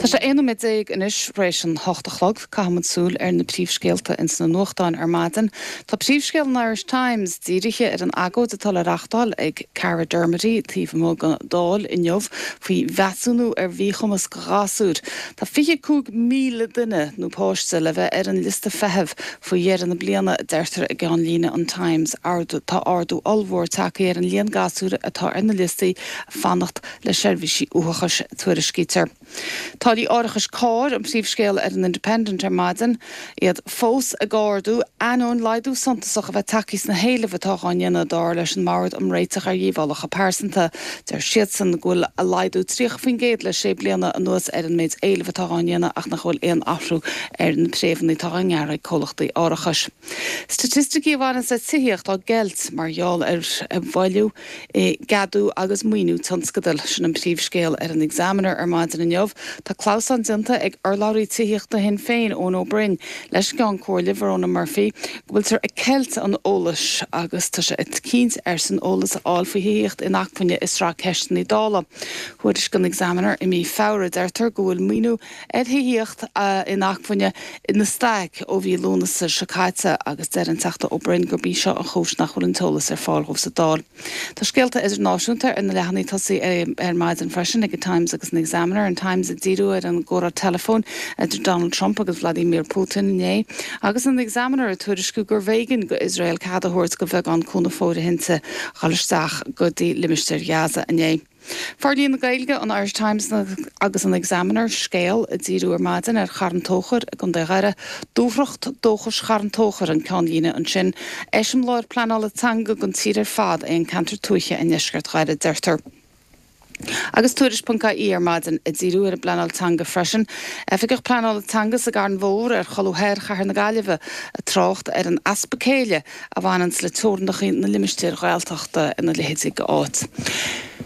Tá sé 11 nóiméad anois tar éis an hocht a chlog. Caithfidh muid súil ar na príomhscéalta ins na nuachtáin ar maidin. Tá príomhscéal an Irish Times dírithe ar an agóid atá le reachtáil ag Cara Dermody taobh amuigh den Dáil inniu faoi mheasúnú ar mhíchumas do ghasúir. Tá 25,000 duine nó páiste le bheith ar an liosta feithimh faoi dheireadh na bliana, a deirtear i gceannlíne an Times. Tá ardú ollmhór tagtha ar an líon gasúr atá ar na liostaí fanacht le seirbhísí uathachais, tuairiscítear. Táillí árachais cairr an príomhscéal ar an Independent ar maidin. Iad fós ag ardú, ainneoin laghdú suntasach a bheith tagtha sna héilimh atá á ndéanamh, dar leis an mBord um Réiteach ar Dhíobhálacha Pearsanta. Deir siadsan go bhfuil laghdú 30% le sé bliana anuas ar an méid éileamh atá á ndéanamh ach nach bhfuil aon athrú ar na préimheanna atá á ngearradh ag comhlachtaí árachais. Staitisticí a bhaineanns le tithíocht á gceilt mar gheall ar mhoilliú i gceadú agus maoiniú tionscadail. Sin an príomhscéal ar an Examiner ar maidin inniu. Tá clamhsán déanta ag urlabhraí tithíochta Shinn Féin, Eoin Ó Broin, leis an gCeann Comhairle, Verona Murphy, go bhfuiltear ag ceilt an eolais agus tá sé ag cinnt airsean eolas a fháil faoi thithíocht inacmhainne i sraith ceisteanna Dála. Thuairiscigh an Examiner i mí Feabhra, deirtear, go bhfuil maoiniú ar thithíocht inacmhainne ina staic ó mhí Lúnasa seo caite agus deir an Teachta Ó Broin gurb í seo an chúis nach bhfuil an t-eolas ar fáil dhóibh sa Dáil. Tá scéalta idirnáisiúnta ar na leathanaigh tosaigh ar maidin freisin ag an Times agus an Examiner, an Times ag díriú ar an gcomhrá teileafóin idir Donald Trump agus Vladimir Putin inné agus an Examiner ag tuairisciú gurbh éigean go Iosrael cead a thabhairt go bheagán cúnamh fóirithinte dhul isteach go dtí limistéar Ghaza inné. Forlíonadh na Gaeilge, an Irish Times agus an Examiner scéal ag díriú ar maidin ar Charn Tóchair i gContae Dhoire. Dúthracht dóchais Charn Tóchair an ceannlíne ansin. Eiseamláir pleanála teanga don tír ar fad é an ceantar tuaithe i ndeisceart Dhoire, deirtear. Agus Tuairisc.ie ar maidin ag díriú ar an bpleanáil teanga freisin. Oifigeach Pleanála Teanga sa gCarn Mhór ar cholbha thoir Chathair na Gaillimhe ag trácht ar an easpa céille a bhaineanns le teorainneacha na limistéir Ghaeltachta ina leithéidí d'áit.